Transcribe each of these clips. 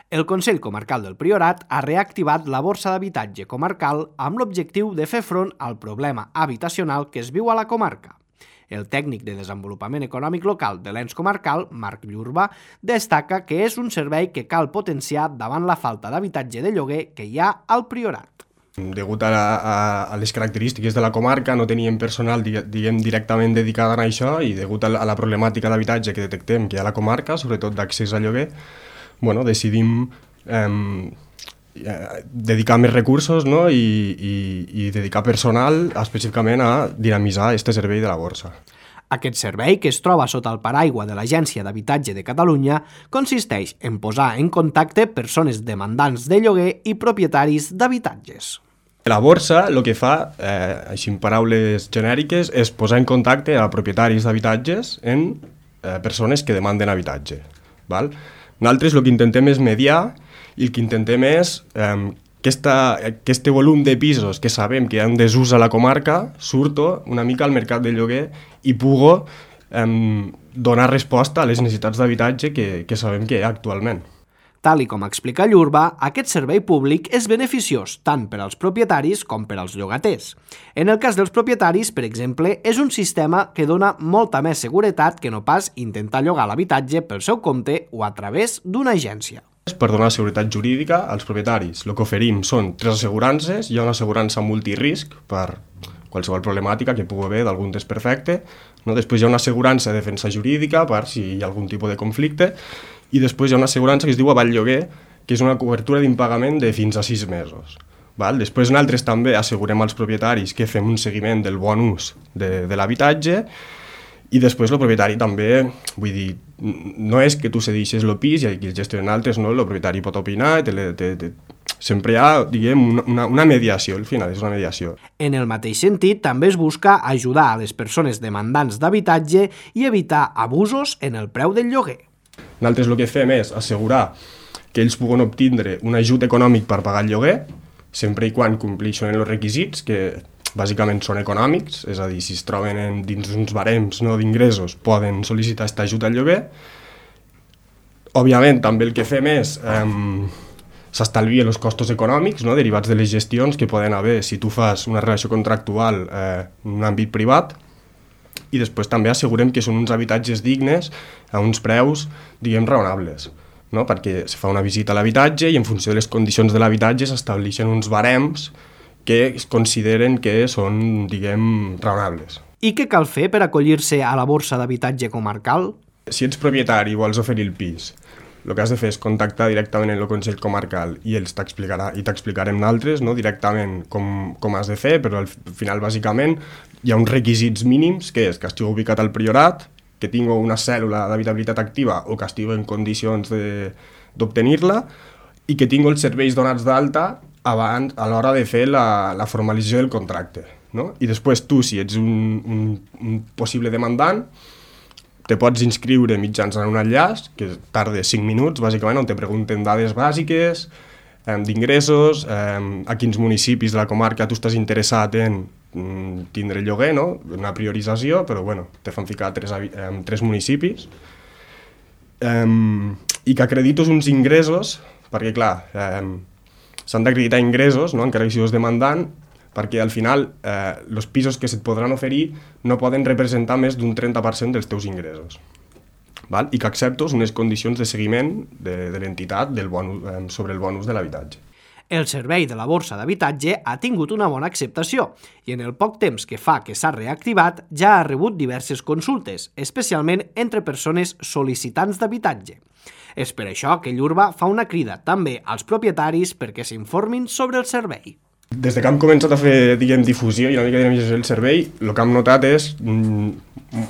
El Consell Comarcal del Priorat ha reactivat la borsa d'habitatge comarcal amb l'objectiu de fer front al problema habitacional que es viu a la comarca. El tècnic de desenvolupament econòmic local de l'ens comarcal, Marc Llurba, destaca que és un servei que cal potenciar davant la falta d'habitatge de lloguer que hi ha al Priorat. Degut a les característiques de la comarca, no teníem personal directament dedicat a això i degut a la problemàtica d'habitatge que detectem que hi ha a la comarca, sobretot d'accés a lloguer, decidim dedicar més recursos i dedicar personal específicament a dinamitzar aquest servei de la borsa. Aquest servei, que es troba sota el paraigua de l'Agència d'Habitatge de Catalunya, consisteix en posar en contacte persones demandants de lloguer i propietaris d'habitatges. La borsa el que fa, així en paraules genèriques, és posar en contacte a propietaris d'habitatges en persones que demanden habitatge. Nosaltres el que intentem és mediar i el que intentem és que aquest volum de pisos que sabem que hi ha un desús a la comarca surto una mica al mercat de lloguer i pugo donar resposta a les necessitats d'habitatge que sabem que hi ha actualment. Tal com explica Llurba, aquest servei públic és beneficiós tant per als propietaris com per als llogaters. En el cas dels propietaris, per exemple, és un sistema que dona molta més seguretat que no pas intentar llogar l'habitatge pel seu compte o a través d'una agència. Per donar seguretat jurídica als propietaris, el que oferim són 3 assegurances. Hi ha una assegurança multirisc per qualsevol problemàtica que pugui haver d'algun desperfecte. Després hi ha una assegurança de defensa jurídica per si hi ha algun tipus de conflicte. I després hi ha una assegurança que es diu Avall Lloguer, que és una cobertura d'impagament de fins a 6 mesos. Després nosaltres també assegurem als propietaris que fem un seguiment del bon ús de l'habitatge i després el propietari també, vull dir, no és que tu cedeixes el pis i qui el gestionen altres, no, el propietari pot opinar, sempre hi ha, diguem, una mediació, al final és una mediació. En el mateix sentit, també es busca ajudar a les persones demandants d'habitatge i evitar abusos en el preu del lloguer. Nosaltres el que fem és assegurar que ells puguen obtindre un ajut econòmic per pagar el lloguer, sempre i quan compleixen els requisits, que bàsicament són econòmics, és a dir, si es troben dins uns barems d'ingressos poden sol·licitar aquest ajut al lloguer. Òbviament també el que fem és s'estalvien els costos econòmics derivats de les gestions que poden haver si tu fas una relació contractual en un àmbit privat. I després també assegurem que són uns habitatges dignes a uns preus, diguem, raonables, perquè se fa una visita a l'habitatge i en funció de les condicions de l'habitatge s'estableixen uns barems que es consideren que són, diguem, raonables. I què cal fer per acollir-se a la borsa d'habitatge comarcal? Si ets propietari i vols oferir el pis, el que has de fer és contactar directament amb el Consell Comarcal i ells t'explicarem nosaltres directament com has de fer, però al final bàsicament hi ha uns requisits mínims, que és que estigui ubicat al Priorat, que tingui una cèl·lula d'habitabilitat activa o que estigui en condicions d'obtenir-la i que tingui els serveis donats d'alta abans a l'hora de fer la formalització del contracte. I després tu, si ets un possible demandant, te pots inscriure mitjançant un enllaç que tarda 5 minuts, bàsicament, on te pregunten dades bàsiques, d'ingressos, a quins municipis de la comarca tu estàs interessat en tindre lloguer, una priorització, però te fan ficar 3 municipis, i que acredites uns ingressos, perquè clar, s'han d'acreditar ingressos, encara que siguis demandant, perquè al final els pisos que se't podran oferir no poden representar més d'un 30% dels teus ingressos. I que acceptes unes condicions de seguiment de l'entitat sobre el bon ús de l'habitatge. El servei de la borsa d'habitatge ha tingut una bona acceptació i en el poc temps que fa que s'ha reactivat ja ha rebut diverses consultes, especialment entre persones sol·licitants d'habitatge. És per això que Llurba fa una crida també als propietaris perquè s'informin sobre el servei. Des que hem començat a fer, difusió i una mica de dinamizació del servei, el que hem notat és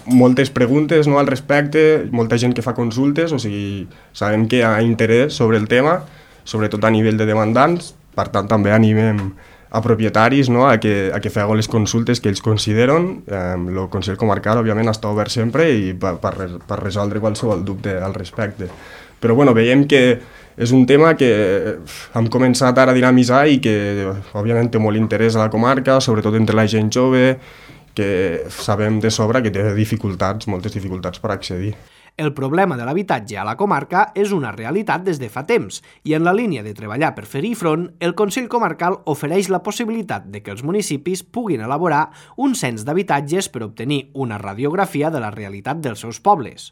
moltes preguntes al respecte, molta gent que fa consultes, o sigui, sabem que hi ha interès sobre el tema, sobretot a nivell de demandants, per tant també animem a propietaris a que feu les consultes que ells consideren. El Consell Comarcal, òbviament, està obert sempre i per resoldre qualsevol dubte al respecte. Però veiem que és un tema que hem començat ara a dinamitzar i que, òbviament, té molt interès a la comarca, sobretot entre la gent jove, que sabem de sobre que té moltes dificultats per accedir. El problema de l'habitatge a la comarca és una realitat des de fa temps i en la línia de treballar per fer-hi front, el Consell Comarcal ofereix la possibilitat de que els municipis puguin elaborar un cens d'habitatges per obtenir una radiografia de la realitat dels seus pobles.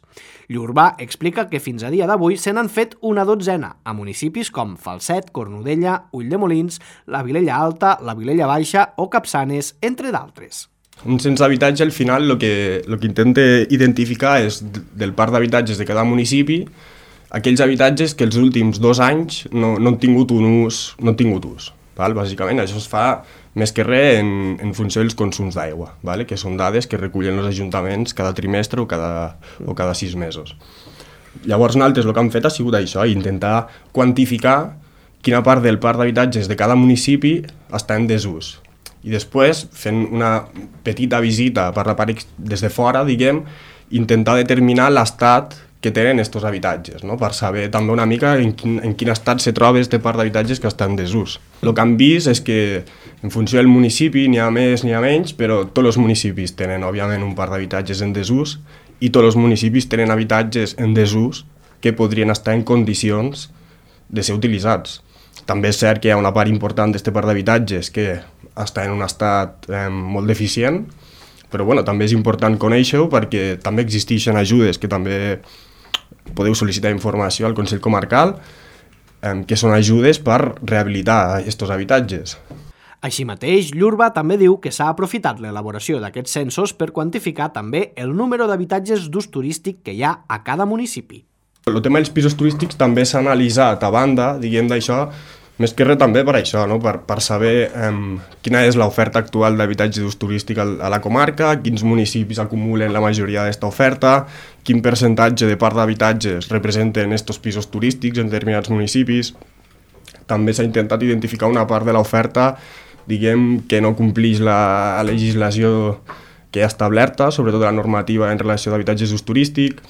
Llurba explica que fins a dia d'avui se n'han fet una dotzena a municipis com Falset, Cornudella, Ulldemolins, la Vilella Alta, la Vilella Baixa o Capçanes, entre d'altres. Un cens d'habitatge, al final, el que intenta identificar és del parc d'habitatges de cada municipi aquells habitatges que els últims 2 anys no han tingut ús. Val? Bàsicament, això es fa més que res en funció dels consums d'aigua, vale? Que són dades que recullen els ajuntaments cada trimestre o cada 6 mesos. Llavors, nosaltres el que hem fet ha sigut això, intentar quantificar quina part del parc d'habitatges de cada municipi està en desús. I després, fent una petita visita per la part des de fora, diguem, intentar determinar l'estat que tenen aquests habitatges, no? Per saber també una mica en quin estat se troba aquest parc d'habitatges que està en desús. El que hem vist és que, en funció del municipi, n'hi ha més, n'hi ha menys, però tots els municipis tenen, òbviament, un parc d'habitatges en desús i tots els municipis tenen habitatges en desús que podrien estar en condicions de ser utilitzats. També és cert que hi ha una part important d'aquest parc d'habitatges que està en un estat molt deficient, però bueno, també és important conèixer-ho perquè també existeixen ajudes que també podeu sol·licitar informació al Consell Comarcal, que són ajudes per rehabilitar aquests habitatges. Així mateix, Llurba també diu que s'ha aprofitat l'elaboració d'aquests censos per quantificar també el número d'habitatges d'ús turístic que hi ha a cada municipi. El tema dels pisos turístics també s'ha analitzat a banda, diguem d'això, més que res també per això, no? Per saber quina és l'oferta actual d'habitatge d'ús turístic a la comarca, quins municipis acumulen la majoria d'aquesta oferta, quin percentatge de part d'habitatges representen aquests pisos turístics en determinats municipis. També s'ha intentat identificar una part de l'oferta, diguem, que no complix la legislació que hi ha establerta, sobretot la normativa en relació d'habitatges d'ús turístic.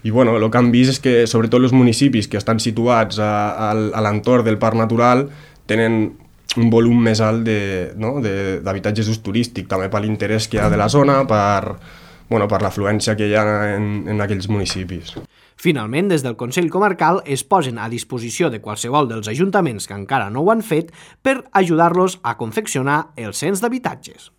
I bueno, el que hem vist és que sobretot els municipis que estan situats a l'entorn del parc natural tenen un volum més alt d'habitatges d'ús turístic, també per l'interès que hi ha de la zona, per l'afluència que hi ha en aquells municipis. Finalment, des del Consell Comarcal es posen a disposició de qualsevol dels ajuntaments que encara no ho han fet per ajudar-los a confeccionar el cens d'habitatges.